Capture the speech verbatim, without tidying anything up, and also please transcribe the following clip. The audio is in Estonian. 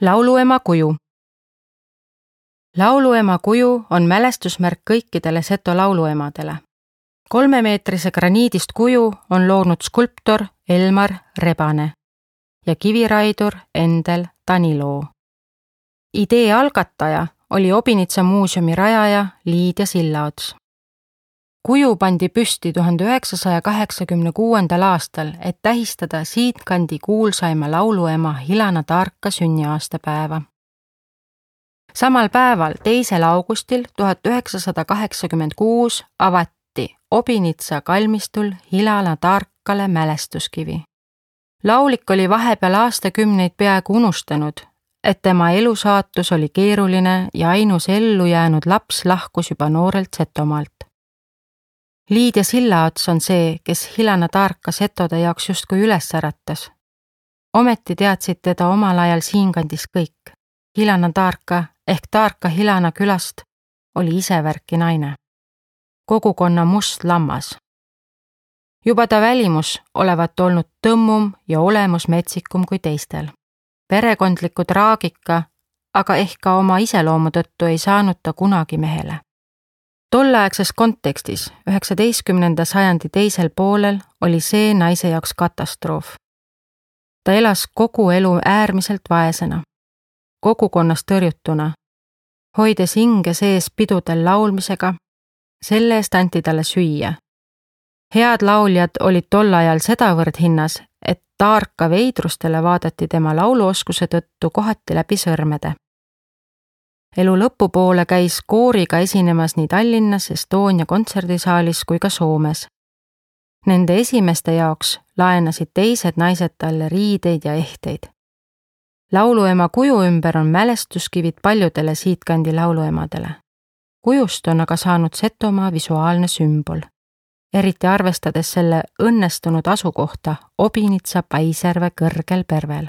Lauluema kuju. Lauluema kuju on mälestusmärk kõikidele Seto lauluemadele. Kolmemeetrise graniidist kuju on loonud skulptor Elmar Rebane ja kiviraidur Endel Taniloo. Idee algataja oli Obinitsa muuseumi rajaja Liidia Sillaots. Kuju pandi püsti tuhande üheksasaja kaheksakümne kuuendal aastal, et tähistada siitkandi kuulsaima lauluema Hilana Taarka sünniaastapäeva. Samal päeval, teisel augustil tuhat üheksasada kaheksakümmend kuus avati Obinitsa kalmistul Hilana Taarkale mälestuskivi. Laulik oli vahepeal aastakümneid peaaegu unustanud, et tema elusaatus oli keeruline ja ainus ellu jäänud laps lahkus juba noorelt Setomaalt. Liidia Sillaots on see, kes Hilana Taarka setode jaoks justkui üles äratas. Ometi teadsid teda omal ajal siinkandis kõik. Hilana Taarka ehk Taarka Hilana külast oli isevärki naine. Kogukonna must lammas. Juba ta välimus olevat olnud tõmmum ja olemus metsikum kui teistel. Perekondliku traagika, aga ehk ka oma iseloomu tõttu ei saanud ta kunagi mehele. Tolleaegses kontekstis, üheksateistkümnenda sajandi teisel poolel, oli see naise jaoks katastroof. Ta elas kogu elu äärmiselt vaesena, kogukonnast tõrjutuna, hoides hinge sees pidudel laulmisega, selle eest anti talle süüa. Head lauljad olid tol ajal sedavõrd hinnas, et Taarka veidrustele vaadati tema lauluoskuse tõttu kohati läbi sõrmede. Elu lõpupoole käis kooriga esinemas nii Tallinnas, Estonia kontserdisaalis kui ka Soomes. Nende esimeste jaoks laenasid teised naised talle riideid ja ehteid. Lauluema kuju ümber on mälestuskivid paljudele siitkandi lauluemadele. Kujust on aga saanud Setomaa visuaalne sümbol, eriti arvestades selle õnnestunud asukohta Obinitsa Paisjärve kõrgel pervel.